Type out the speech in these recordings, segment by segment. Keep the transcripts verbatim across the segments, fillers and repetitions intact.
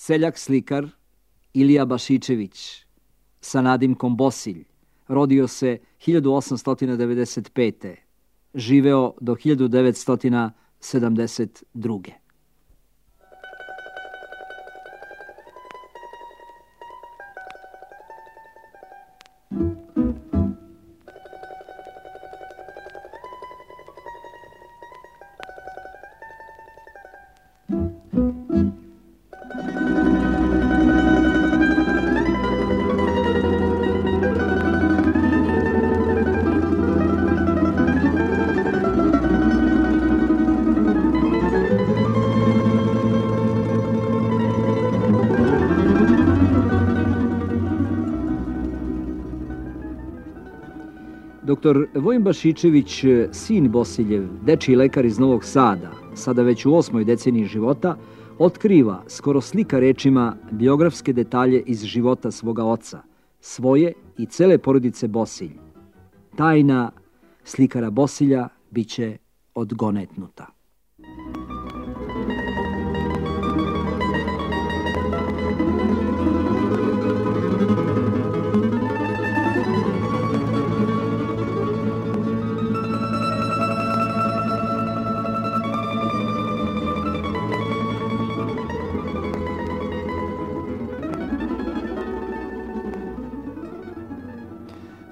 Seljak slikar Ilija Bašičević sa nadimkom Bosilj rodio se hiljadu osamsto devedeset pete. Živeo do hiljadu devetsto sedamdeset druge. Doktor Vojin Bašičević, sin Bosiljev, dečiji lekar iz Novog Sada, sada već u osmoj deceniji života, otkriva, skoro slika rečima, biografske detalje iz života svoga oca, svoje i cele porodice Bosilj. Tajna slikara Bosilja biće odgonetnuta.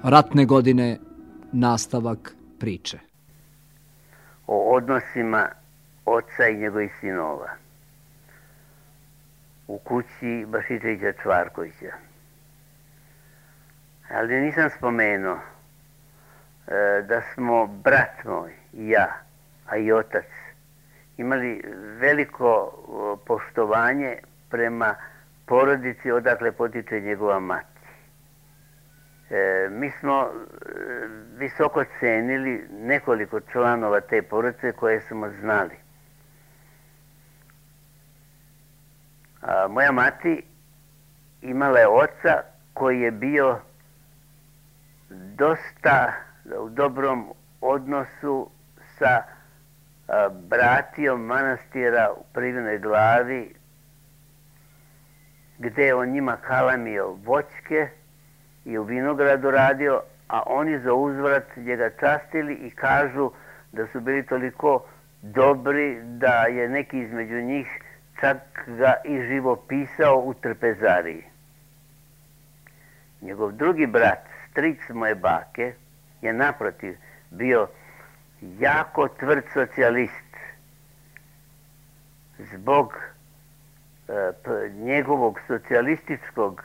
Ratne godine, nastavak priče. O odnosima oca i njegovih sinova u kući Bašičevića Čvarkovića. Ali nisam spomenuo e, da smo brat moj i ja, a i otac, imali veliko poštovanje prema porodici odakle potiče njegova mati. E, mi smo e, visoko cenili nekoliko članova te porodice koje smo znali. A, moja mati imala je oca koji je bio dosta u dobrom odnosu sa a, bratijom manastira u Privinoj Glavi, gde je on njima kalamio voćke i u vinogradu radio, a oni za uzvrat njega častili i kažu da su bili toliko dobri da je neki između njih čak ga i živopisao u trpezariji. Njegov drugi brat, stric moje bake, je naprotiv bio jako tvrd socijalist. Zbog e, p, njegovog socijalističkog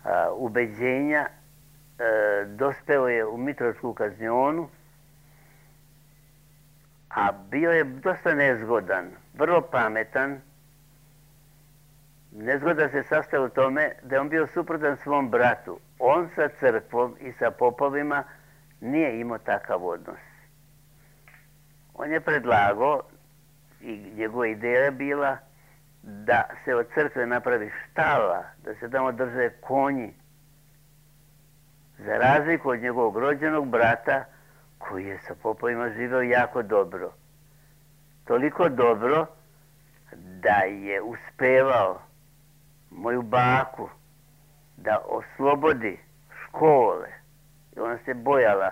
a, ubeđenja e, dospeo je u Mitrovićku kaznionu, a bio je dosta nezgodan, vrlo pametan. Nezgoda se sastoji u tome da je on bio suprotan svom bratu. On sa crkvom i sa popovima nije imao takav odnos. On je predlagao, i njegova ideja je bila, da se od crkve napravi štala, da se tamo drže konji, za razliku od njegovog rođenog brata, koji je sa popovima živeo jako dobro. Toliko dobro da je uspevao moju baku da oslobodi škole. I ona se bojala,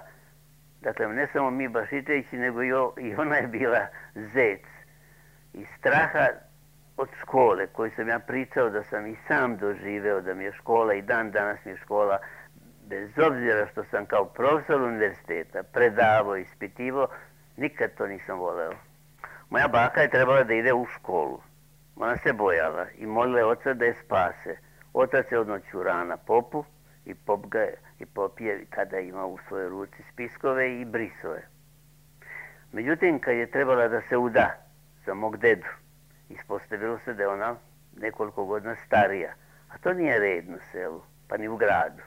dakle ne samo mi Bašičevići, nego i ona je bila zec. Iz straha od škole, koju sam ja pričao da sam i sam doživeo, da mi je škola i dan danas mi je škola, bez obzira što sam kao profesor univerziteta predavao, ispitivao, nikad to nisam voleo. Moja baka je trebala da ide u školu. Ona se bojala i molila je oca da je spase. Otac je odmah ćurao na popu i pop ga je, i pop je tada imao u svojoj ruci spiskove i brisove. Međutim, kad je trebala da se uda za mog dedu, ispostavilo se da je ona nekoliko godina starija, a to nije red na selu, pa ni u gradu.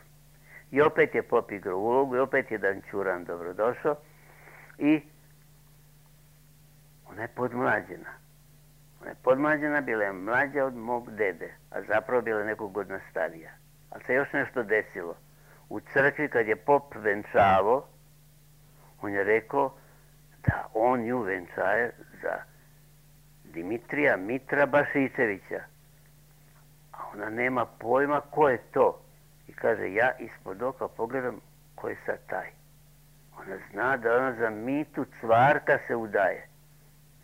I opet je pop igrao ulogu i opet je Dan Ćuran dobrodošao i ona je podmlađena. Ona je podmlađena, bila je mlađa od mog dede, a zapravo bila je nekog godina starija. Ali se još nešto desilo. U crkvi kad je pop venčavao, on je rekao da on nju venčaje za Dimitrija Mitra Bašičevića. ona nema pojma ko je to. I kaže, ja ispod oka pogledam ko je sad taj. Ona zna da ona za Mitu Cvarka se udaje.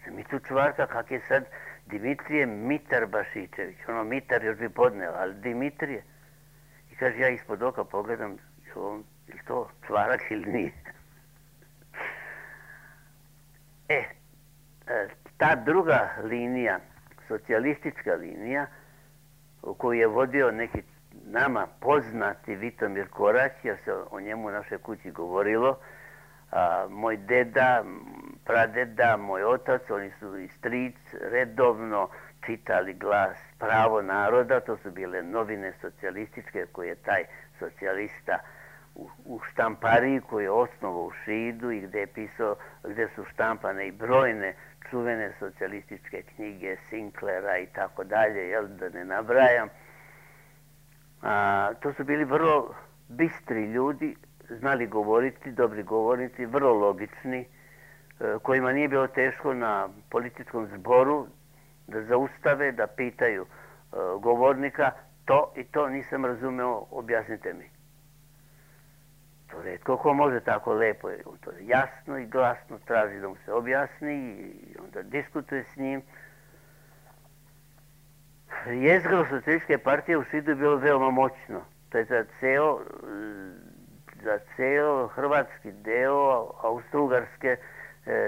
Za Mitu Cvarka, kak je sad Dimitrije Mitar Bašičević. Ono, Mitar još bi podneo, ali Dimitrije. I kaže, ja ispod oka pogledam, je li to Cvarak ili nije? E, ta druga linija, socijalistička linija, koju je vodio neki nama poznati Vitomir Korać, jer se o njemu u našoj kući govorilo, a, moj deda, pradeda, moj otac, oni su i stric, redovno čitali Glas, Pravo naroda, to su bile novine socijalističke koje je taj socijalista u, u štampariji koji je osnovao u Šidu i gdje je pisao, gdje su štampane i brojne čuvene socijalističke knjige Sinklera i tako dalje, jel, da ne nabrajam. A, to su bili vrlo bistri ljudi, znali govoriti, dobri govornici, vrlo logični, kojima nije bilo teško na političkom zboru da zaustave, da pitaju govornika, to i to nisam razumeo, objasnite mi. To retko ko može tako lepo, on to jasno i glasno traži da mu se objasni i onda diskutuje s njim. Jezgro socijalističke partije u Šidu je bilo veoma moćno. To je za ceo, za ceo hrvatski deo Austro-Ugarske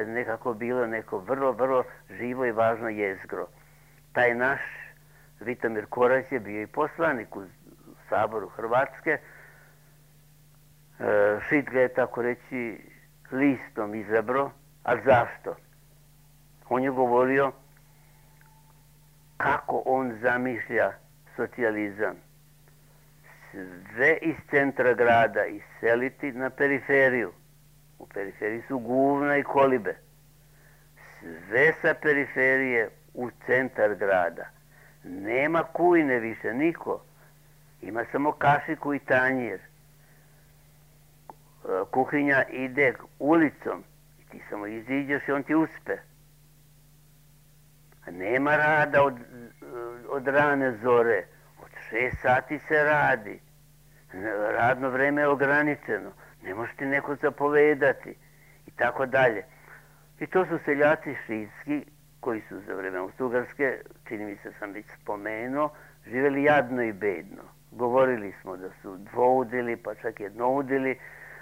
nekako bilo neko vrlo, vrlo živo i važno jezgro. Taj naš Vitomir Korać je bio i poslanik u Saboru Hrvatske. Šid ga je, tako reći, listom izabro. A zašto? On je govorio kako on zamišlja socijalizam. Sve iz centra grada iseliti na periferiju. U periferiji su Guvna i Kolibe. Sve sa periferije u centar grada. Nema kujne više, niko. Ima samo kašiku i tanjir. Kuhinja ide ulicom i ti samo iziđeš i on ti uspe. Nema rada od, od rane zore. Od šest sati se radi. Radno vreme je ograničeno. Ne može ti neko zapovedati. I tako dalje. I to su seljaci šidski koji su za vreme Austro-Ugarske, čini mi se sam već spomenuo, živjeli jadno i bedno. Govorili smo da su dvoudili, pa čak jednoudili.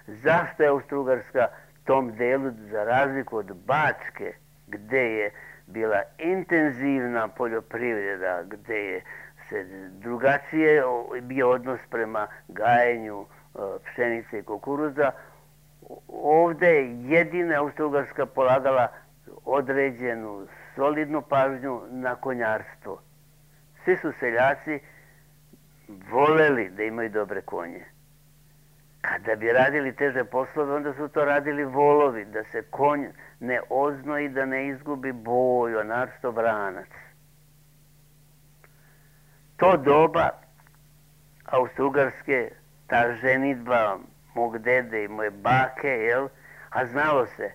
Zašto je Austro-Ugarska tom delu, za razliku od Bačke, gdje je bila intenzivna poljoprivreda, gdje je se drugačije bio odnos prema gajenju pšenice i kukuruza, ovdje je jedina Austro-Ugarska polagala određenu solidnu pažnju na konjarstvo. Svi su seljaci voleli da imaju dobre konje. Kada bi radili teže poslove, onda su to radili volovi, da se konj ne oznoji, da ne izgubi boju, a naročito vranac. To doba Austro-Ugarske, ta ženidba mog dede i moje bake, jel, a znalo se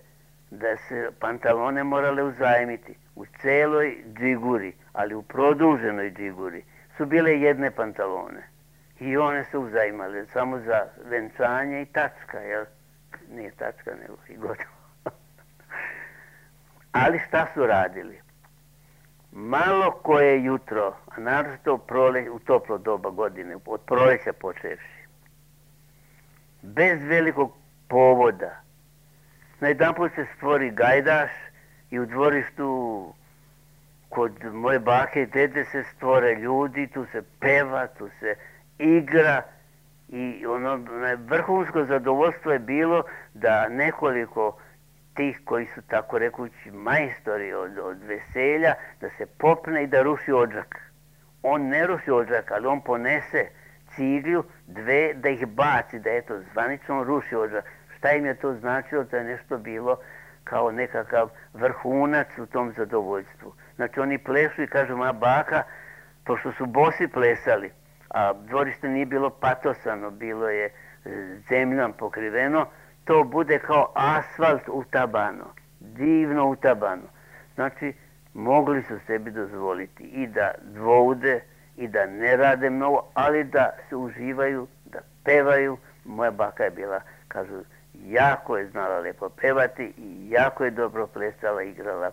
da se pantalone morale uzajmiti u celoj džiguri, ali u produženoj džiguri su bile jedne pantalone. I one su uzajmale samo za venčanje i tačka, jel? Nije tačka, nego i gotovo. Ali šta su radili? Malo koje jutro, a naročito u toplo doba godine, od proleća počevši, bez velikog povoda, najedanput se stvori gajdaš i u dvorištu kod moje bake i dede se stvore ljudi, tu se peva, tu se igra i ono vrhunsko zadovoljstvo je bilo da nekoliko tih koji su tako rekući majstori od, od veselja, da se popne i da ruši odžak. On ne ruši odžak, ali on ponese ciglju dve da ih baci, da eto zvanično ruši odžak. Šta im je to značilo? To je nešto bilo kao nekakav vrhunac u tom zadovoljstvu. Znači oni plešu i kažu, moja baka, pošto su bosi plesali, a dvorište nije bilo patosano, bilo je zemljom pokriveno, to bude kao asfalt utabano, divno utabano. Znači, mogli su sebi dozvoliti i da dvoude i da ne rade mnogo, ali da se uživaju, da pevaju. Moja baka je bila, kažu, jako je znala lepo pevati i jako je dobro plesala, igrala.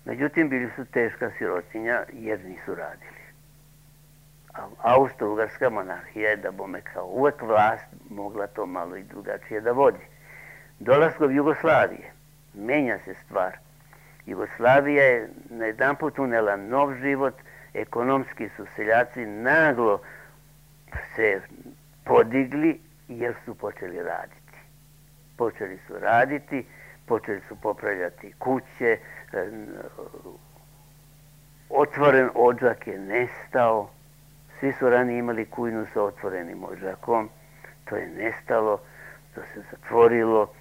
Međutim, bili su teška sirotinja jer nisu radili. A Austro-Ugarska monarhija je, da bome kao uvek vlast, mogla to malo i drugačije da vodi. Dolaskom Jugoslavije menja se stvar. Jugoslavija je na jedan put unela nov život, ekonomski su seljaci naglo se podigli jer su počeli raditi. Počeli su raditi, počeli su popravljati kuće, otvoren odžak je nestao, svi su ranije imali kujnu sa otvorenim odžakom, to je nestalo, to se zatvorilo,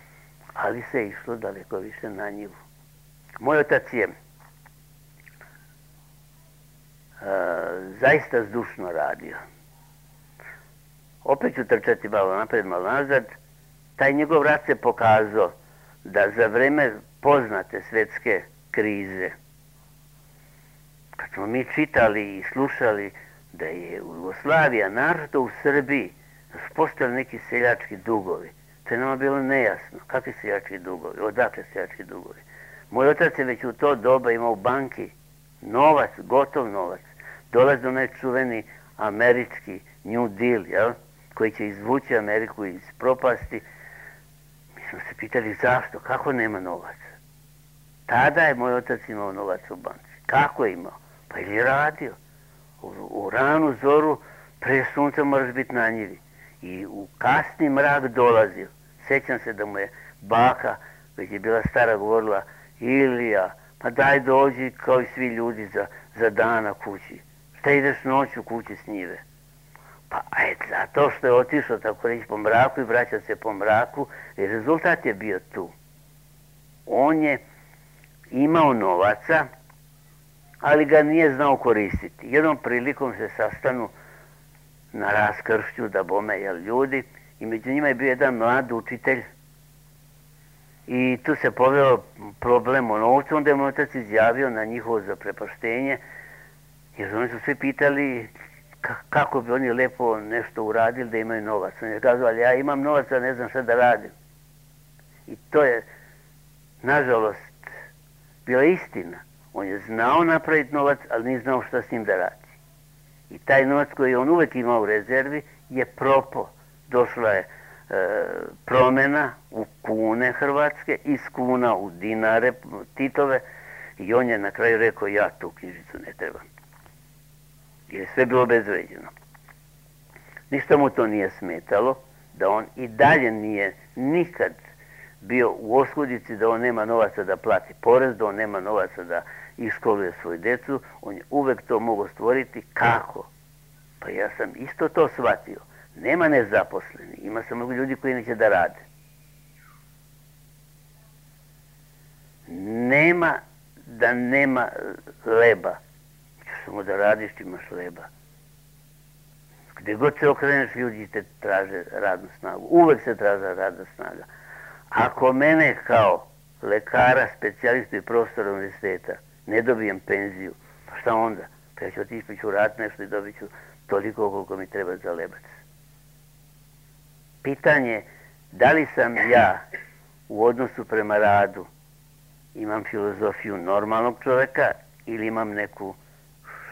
ali se išlo daleko više na njivu. Moj otac je zaista zdušno radio. Opet ću trčati malo napred, malo nazad. Taj njegov rad se pokazao da za vreme poznate svetske krize, kad smo mi čitali i slušali da je u Jugoslaviji, naročito u Srbiji, da su postali neki seljački dugovi. To je nama bilo nejasno. Kakvi seljački dugovi? Odakle seljački dugovi? Moj otac je već u to doba imao u banki novac, gotov novac. Dolazi onaj čuveni američki New Deal, jel? Koji će izvući Ameriku iz propasti. Mi smo se pitali zašto, kako nema novaca. Tada je moj otac imao novac u banci. Kako je imao? Pa ili je radio. U, u ranu zoru pre sunca moraš biti na njivi. I u kasni mrak dolazio. Sećam se da mu je baka, već je bila stara, govorila: Ilija, pa daj dođi kao i svi ljudi za, za dana kući. Šta ideš noću kući s njive? Pa et, zato što je otišao tako reći po mraku i vraća se po mraku, i rezultat je bio tu. On je imao novaca, ali ga nije znao koristiti. Jednom prilikom se sastanu na raskršću, da bome, jel, ljudi, i među njima je bio jedan mlad učitelj i tu se poveo problem o novcu. Onda je moj otac izjavio na njihovo zaprepaštenje, jer oni su svi pitali kako bi oni lepo nešto uradili da imaju novac. On je kazao: ali ja imam novac, a ne znam šta da radim. I to je, nažalost, bila istina. On je znao napraviti novac, ali nije znao šta s njim da radi. I taj novac koji on uvek imao u rezervi je propao. Došla je e, promjena u kune hrvatske, iz kuna u dinare Titove, i on je na kraju rekao: ja tu knjižicu ne trebam. Jer je sve bilo obezvređeno. Ništa mu to nije smetalo, da on i dalje nije nikad bio u oskudici, da on nema novaca da plati porez, da on nema novaca da iškoluje svoju decu. On je uvek to mogao stvoriti. Kako? Pa ja sam isto to shvatio. Nema nezaposleni, ima samo ljudi koji neće da rade. Nema da nema leba. Samo da radiš, imaš leba. Gde god se okreneš, ljudi te traže radnu snagu. Uvek se traže radna snaga. Ako mene kao lekara, specijalistu i profesora univerziteta ne dobijem penziju, pa šta onda? Pa ja ću otići, pa ću raditi nešto i dobit ću toliko koliko mi treba za lebac. Pitanje, da li sam ja u odnosu prema radu imam filozofiju normalnog čoveka ili imam neku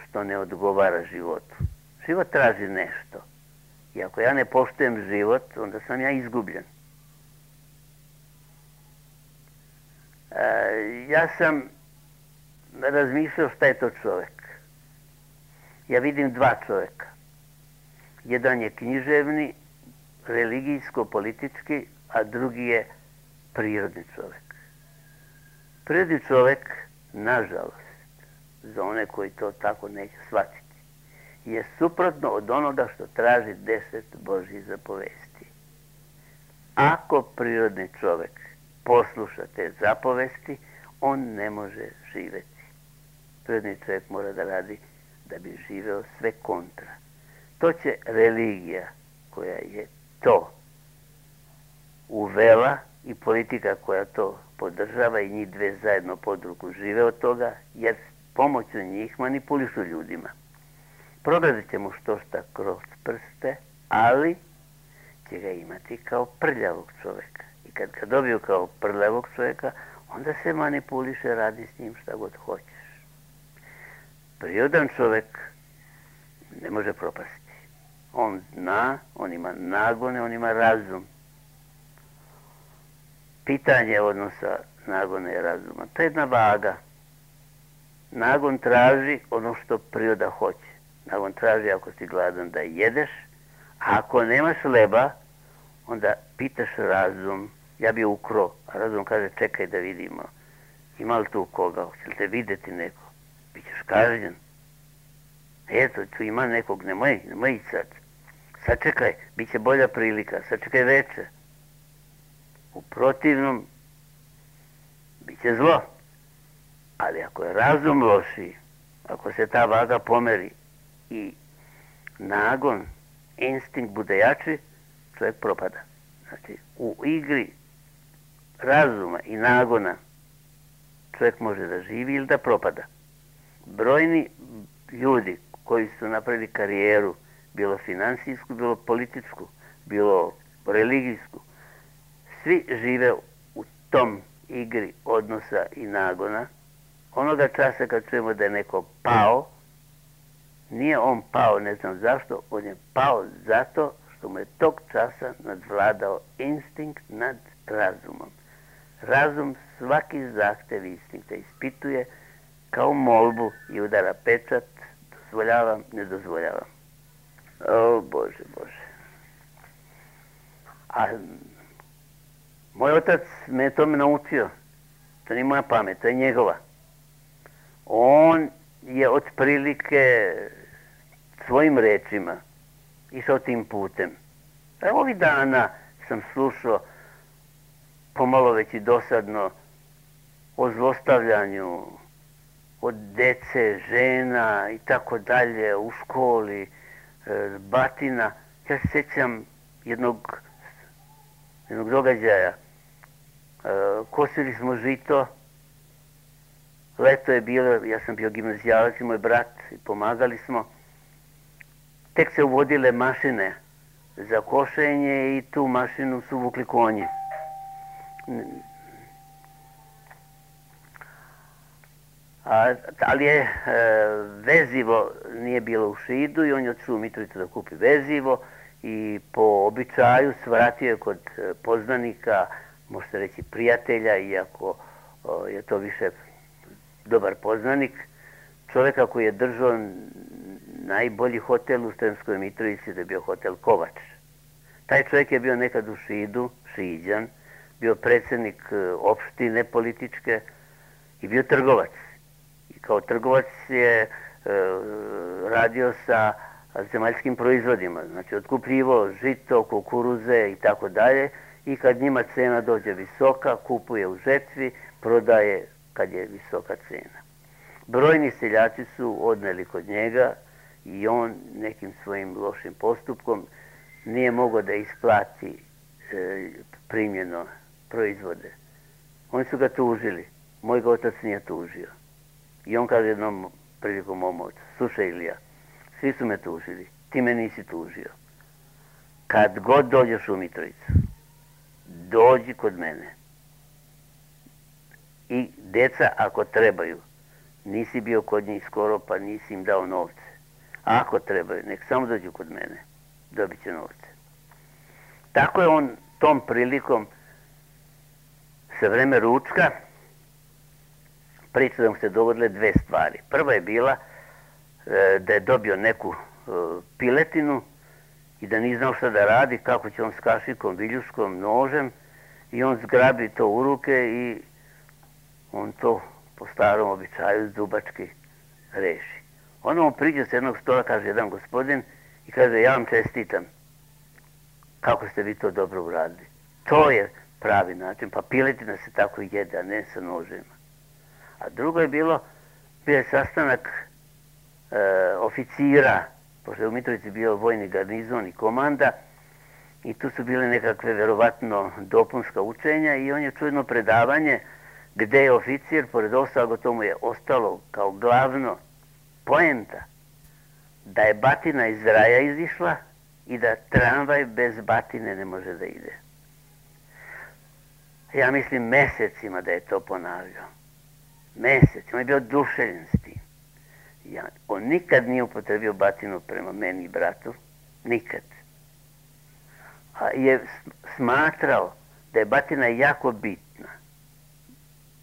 što ne odgovara životu. Život traži nešto. I ako ja ne poštujem život, onda sam ja izgubljen. E, ja sam razmišljao šta je to čovek. Ja vidim dva čoveka. Jedan je književni, religijsko-politički, a drugi je prirodni čovek. Prirodni čovek, nažalost, za one koji to tako neće shvatiti, je suprotno od onoga što traži deset Božjih zapovesti. Ako prirodni čovek posluša te zapovesti, on ne može živeti. Prirodni čovek mora da radi da bi živeo sve kontra. To će religija, koja je to uvela, i politika koja to podržava, i njih dve zajedno pod ruku žive od toga, jer pomoću njih manipulišu ljudima. progledit će mu što šta kroz prste, ali će ga imati kao prljavog čovjeka. I kad ga dobiju kao prljavog čovjeka, onda se manipuliše, radi s njim šta god hoćeš. Prirodan čovjek ne može propasti. On zna, on ima nagone, on ima razum. Pitanje odnosa nagona i razuma. To je jedna vaga. Nagon traži ono što priroda hoće. Nagon traži ako si gladan da jedeš, a ako nemaš hleba, onda pitaš razum. Ja bi ukro, a razum kaže čekaj da vidimo. Ima li tu koga? Hoće li te vidjeti neko? Bićeš kažnjen. Eto, tu ima nekog, nemoj, nemoj ići sad. Sačekaj, bit će bolja prilika, sačekaj veče. U protivnom, bit će zlo. Ali ako je razum loši, ako se ta vaga pomeri i nagon, instinkt bude jači, čovjek propada. Znači, u igri razuma i nagona čovjek može da živi ili da propada. Brojni ljudi koji su napravili karijeru, bilo finansijsku, bilo političku, bilo religijsku, svi žive u tom igri odnosa i nagona. Onoga časa kad čujemo da je neko pao, nije on pao, ne znam zašto, on je pao zato što mu je tog časa nadvladao instinkt nad razumom. Razum svaki zahtev instinkta ispituje kao molbu i udara pečat, dozvoljavam, ne dozvoljavam. O, Bože, Bože. A moj otac me je tome naučio. To nije moja pamet, to je njegova. On je otprilike svojim rečima išao tim putem. Evo ovih dana sam slušao pomalo već i dosadno o zlostavljanju od dece, žena i tako dalje u školi, batina. Ja se sjećam jednog, jednog događaja. Kosili smo žito, leto je bilo, ja sam bio gimnazijalac i moj brat i pomagali smo. Tek se uvodile mašine za košenje i tu mašinu su vukli konji. A, ali je e, vezivo nije bilo u Šidu i on je otišao u Mitrovicu da kupi vezivo i po običaju svratio je kod poznanika, možete reći prijatelja, iako o, je to više dobar poznanik, čovjeka koji je držao najbolji hotel u Sremskoj Mitrovici, da je bio hotel Kovač. Taj čovjek je bio nekad u Šidu, Šiđan, bio predsjednik opštine političke i bio trgovac. I kao trgovac je e, radio sa zemaljskim proizvodima, znači otkupljivo žito, kukuruze i tako dalje, i kad njima cena dođe visoka, kupuje u žetvi, prodaje kad je visoka cena. Brojni seljaci su odneli kod njega i on nekim svojim lošim postupkom nije mogao da isplati e, primljeno proizvode. Oni su ga tužili. Moj ga otac nije tužio. I on kaže jednom prilikom mom ocu, slušaj Ilija, svi su me tužili, ti me nisi tužio. Kad god dođeš u Mitrovicu, dođi kod mene. I deca ako trebaju, nisi bio kod njih skoro pa nisi im dao novce. Ako trebaju, nek samo dođu kod mene, dobit će novce. Tako je on tom prilikom sa vreme ručka priča da mu se dogodile dve stvari. Prva je bila e, da je dobio neku e, piletinu i da nije znao šta da radi, kako će on s kašikom, viljuškom, nožem, i on zgrabi to u ruke i on to po starom običaju zubački reši. Onda mu priđe s jednog stola, kaže jedan gospodin, i kaže, ja vam čestitam. Kako ste vi to dobro uradili? To je pravi način, pa piletina se tako jede, a ne sa nožima. A drugo je bilo, bio je sastanak e, oficira, pošto je u Mitrovici bio vojni garnizon i komanda, i tu su bile nekakve verovatno dopunska učenja i on je čuo jedno predavanje gde je oficir, pored ostalog to mu je ostalo kao glavno poenta, da je batina iz raja izišla i da tramvaj bez batine ne može da ide. Ja mislim mesecima da je to ponavljao. Mesecima. On je bio oduševljen s tim. Ja, on nikad nije upotrebio batinu prema meni i bratu. Nikad. A je smatrao da je batina jako bitna.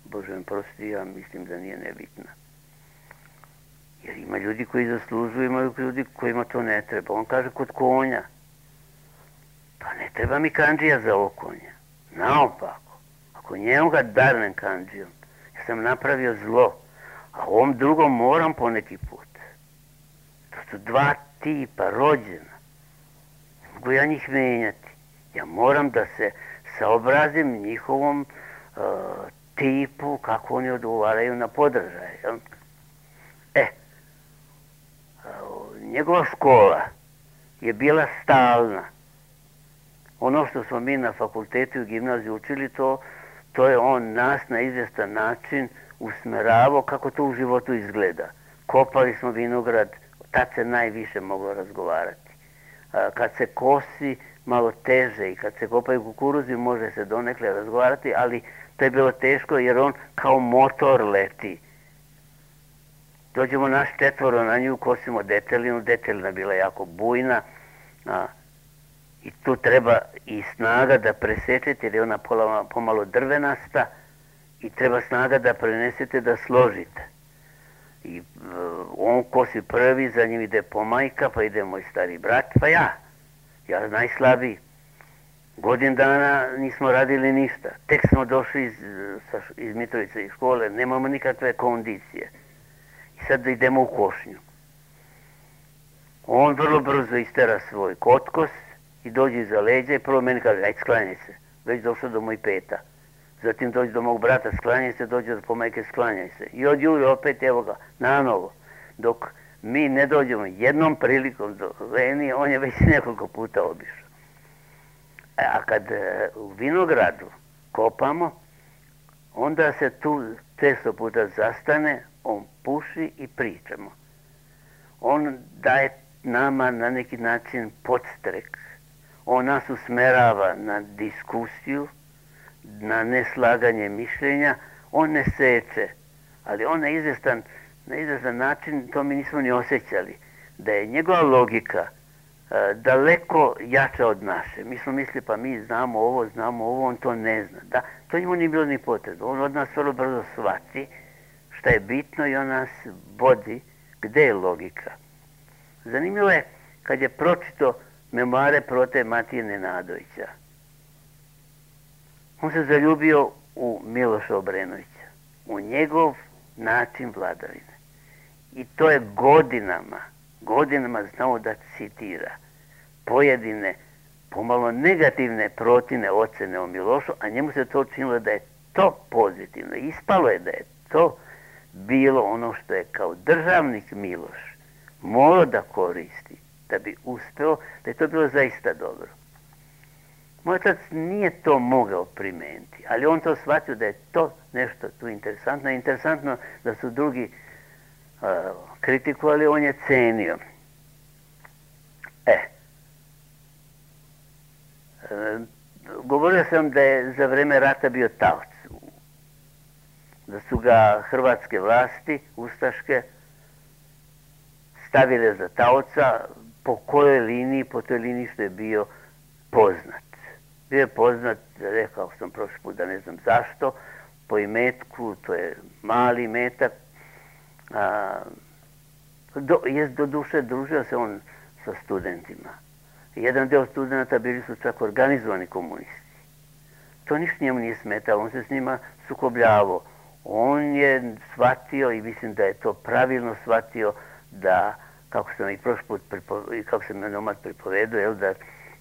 Bože mi prosti, ja mislim da nije nebitna. Jer ima ljudi koji zaslužuju, ima ljudi kojima to ne treba. On kaže kod konja. Pa ne treba mi kandžija za ovo konja. Naopako. Ako njemu ga darnem kandžijom, ja sam napravio zlo. A ovom drugom moram poneki put. To su dva tipa rođena. Mogu ja njih menjati. Ja moram da se saobrazim njihovom uh, tipu kako oni odgovaraju na podržaj. Jel? E, uh, njegova škola je bila stalna. Ono što smo mi na fakultetu i gimnaziji učili, to, to je on nas na izvjestan način usmeravao kako to u životu izgleda. Kopali smo vinograd, tad se najviše moglo razgovarati. A, kad se kosi, malo teže, i kad se kopaju kukuruzi može se donekle razgovarati, ali to je bilo teško jer on kao motor leti. Dođemo naš četvoro na nju, kosimo detelinu, detelina bila jako bujna, a, i tu treba i snaga da presečete jer je ona pola, pomalo drvenasta i treba snaga da prenesete da složite. I uh, on kosi prvi, za njim ide pomajka, pa ide moj stari brat, pa ja. Ja najslabiji. Godin dana nismo radili ništa. Tek smo došli iz, iz Mitrovice iz škole, nemamo nikakve kondicije. I sad idemo u košnju. On vrlo brzo istera svoj kotkos i dođe iza leđa i prvo meni kaže, ajde sklanjaj se. Već došao do moj peta. Zatim dođe do mog brata, sklanjaj se, dođe do pomajke, sklanjaj se. I od Jure opet, evo ga, nanovo. Dok mi ne dođemo jednom prilikom do Leni, on je već nekoliko puta obišao. A kad u vinogradu kopamo, onda se tu često puta zastane, on puši i pričamo. On daje nama na neki način podstrek. On nas usmerava na diskusiju, na neslaganje mišljenja. On ne seče, ali on na izvjestan, na izvjestan način, to mi nismo ni osjećali, da je njegova logika uh, daleko jača od naše. Mi smo mislili, pa mi znamo ovo, znamo ovo, on to ne zna. Da, to njemu nije bilo ni potrebno. On od nas vrlo brzo shvati šta je bitno i on nas vodi gde je logika. Zanimljivo je kad je pročito memoare Prote Matije Nenadovića. On se zaljubio u Miloša Obrenovića, u njegov način vladavine. I to je godinama, godinama znao da citira pojedine, pomalo negativne Protine ocene o Milošu, a njemu se to činilo da je to pozitivno. Ispalo je da je to bilo ono što je kao državnik Miloš morao da koristi, da bi uspeo, da je to bilo zaista dobro. Moj otac nije to mogao primeniti, ali on to shvatio da je to nešto tu interesantno. Interesantno da su drugi uh, kritikovali, on je cenio. E, e, govorio sam da je za vreme rata bio taoc, da su ga hrvatske vlasti, ustaške, stavile za taoca po kojoj liniji, po toj liniji što je bio poznat. Bio je poznat, rekao sam prošli put da ne znam zašto, po imetku, to je mali imetak. A, do, je do duše družio se on sa studentima. Jedan deo studenta bili su čak organizovani komunisti. To ništa njemu nije smetalo, on se s njima sukobljavao. On je shvatio i mislim da je to pravilno shvatio da, kako sam i prošli put pripovedo, kako sam onomad pripovedo, jel, da,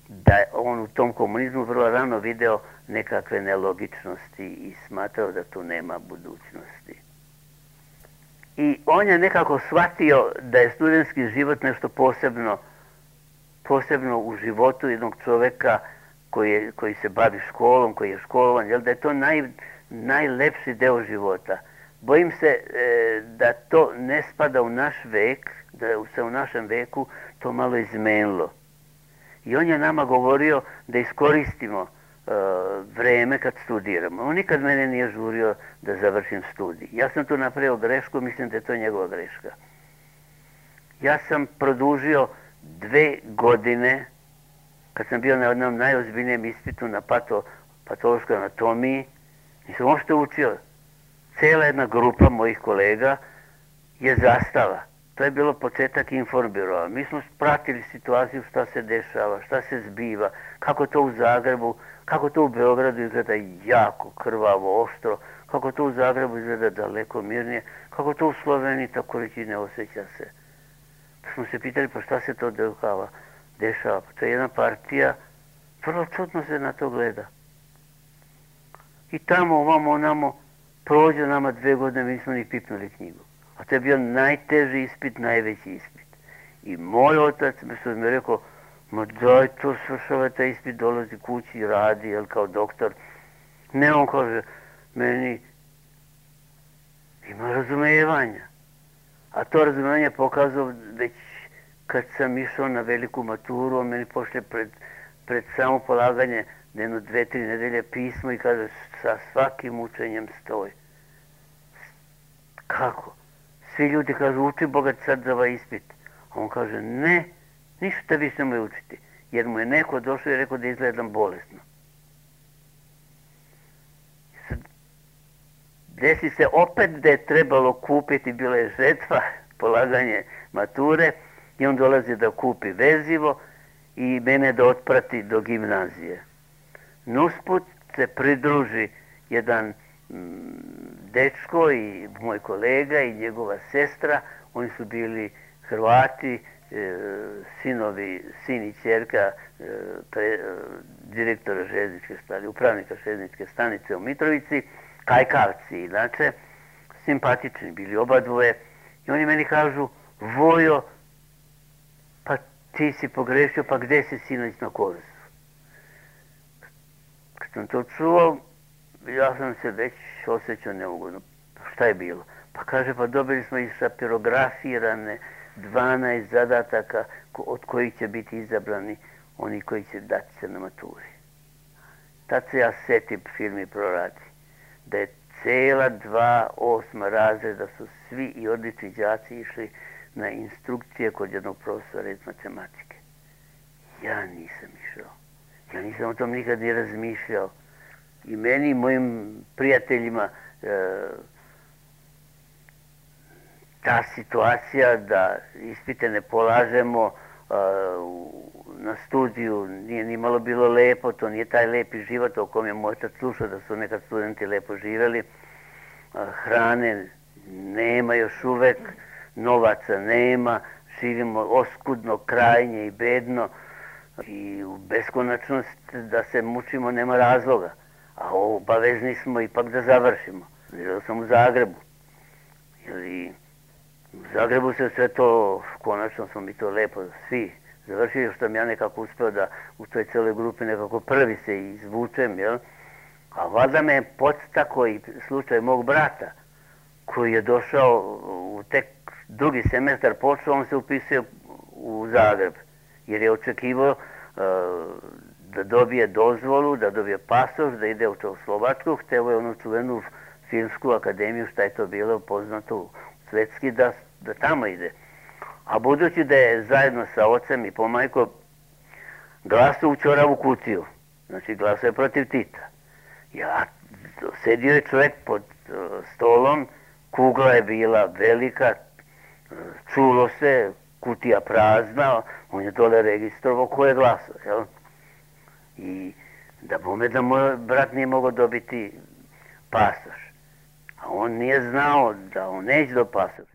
da on u tom komunizmu vrlo rano video nekakve nelogičnosti i smatrao da tu nema budućnosti. I on je nekako shvatio da je studentski život nešto posebno, posebno u životu jednog čoveka koji, je, koji se bavi školom, koji je školovan, jel, da je to naj, najlepši deo života. bojim se e, da to ne spada u naš vek, da se u našem veku to malo izmenilo. I on je nama govorio da iskoristimo e, vreme kad studiramo. On nikad mene nije žurio da završim studij. Ja sam tu napravio grešku, mislim da je to njegova greška. Ja sam produžio dve godine, kad sam bio na jednom najozbiljnijem ispitu na pato, patološkoj anatomiji, nisam uopšte učio. Cijela jedna grupa mojih kolega je zastala. To je bilo početak Informbirova. Mi smo pratili situaciju šta se dešava, šta se zbiva, kako to u Zagrebu, kako to u Beogradu izgleda jako krvavo, oštro, kako to u Zagrebu izgleda daleko mirnije, kako to u Sloveniji tako reći ne osjeća se. Pa smo se pitali pa šta se to dešava. dešava. Pa to je jedna partija, vrlo čudno se na to gleda. I tamo, ovamo, onamo, prođe nama dve godine, mi nismo ni pipnuli knjigu. A to je bio najteži ispit, najveći ispit. I moj otac mi mi rekao, ma daj to svršava taj ispit, dolazi kući, radi, jel, kao doktor. Ne, on kaže, meni ima razumijevanja. A to razumijevanje je pokazao već kad sam išao na veliku maturu, on meni pošle pred, pred samo polaganje jedno dve, tri nedelje pismo i kaže, sa svakim učenjem stoj. Kako? Svi ljudi kažu, uči Boga sad za ovaj ispit. A on kaže, ne, ništa vi se nemoj učiti. Jer mu je neko došao i rekao da izgledam bolesno. Desi se opet da je trebalo kupiti, bila je žetva, polaganje mature, i on dolazi da kupi vezivo i mene da otprati do gimnazije. Nusput se pridruži jedan dečko i moj kolega i njegova sestra, oni su bili Hrvati, e, sinovi, sin i ćerka e, pre, direktora željezničke stanice, upravnika željezničke stanice u Mitrovici, kajkavci inače, simpatični bili oba dvoje i oni meni kažu, Vojo, pa ti si pogrešio, pa gde si sinoć na Korzu? Kad sam to čuo, ja sam se već osjećao neugodno. Šta je bilo? Pa kaže, pa dobili smo i sapirografirane dvanaest zadataka od kojih će biti izabrani oni koji će dati se na maturi. Tad se ja setim filmi proradi. Da je cela dva osma razreda su svi i odlični đaci išli na instrukcije kod jednog profesora iz matematike. Ja nisam išao. Ja nisam o tom nikad ni razmišljao. I meni i mojim prijateljima e, ta situacija da ispite ne polažemo e, na studiju nije ni malo bilo lepo, to nije taj lepi život o kom je moj otac slušao da su nekad studenti lepo živjeli. E, hrane nema još uvek, novaca nema, živimo oskudno, krajnje i bedno i u beskonačnost da se mučimo nema razloga. A obavezni smo ipak da završimo. Živio sam u Zagrebu. I u Zagrebu se sve to, konačno smo mi to lepo svi završili, što sam ja nekako uspeo da u toj celoj grupi nekako prvi se izvučem, jel? A valjda me je podstakao i slučaj mog brata, koji je došao u tek drugi semestar počeo, on se upisuje u Zagreb, jer je očekivao uh, da dobije dozvolu, da dobije pasoš, da ide u Slovačku, hteo je onu čuvenu filmsku akademiju, šta je to bilo poznato svetski, da, da tamo ide. A budući da je zajedno sa ocem i pomajkom glasao u ćoravu kutiju, znači glasao je protiv Tita. Ja, sedio je čovjek pod uh, stolom, kugla je bila velika, čulo se, kutija prazna, on je dole registrovao ko je glasao, jel? I da bome da moj brat nije mogao dobiti pasoš. A on nije znao da on neće do pasoš.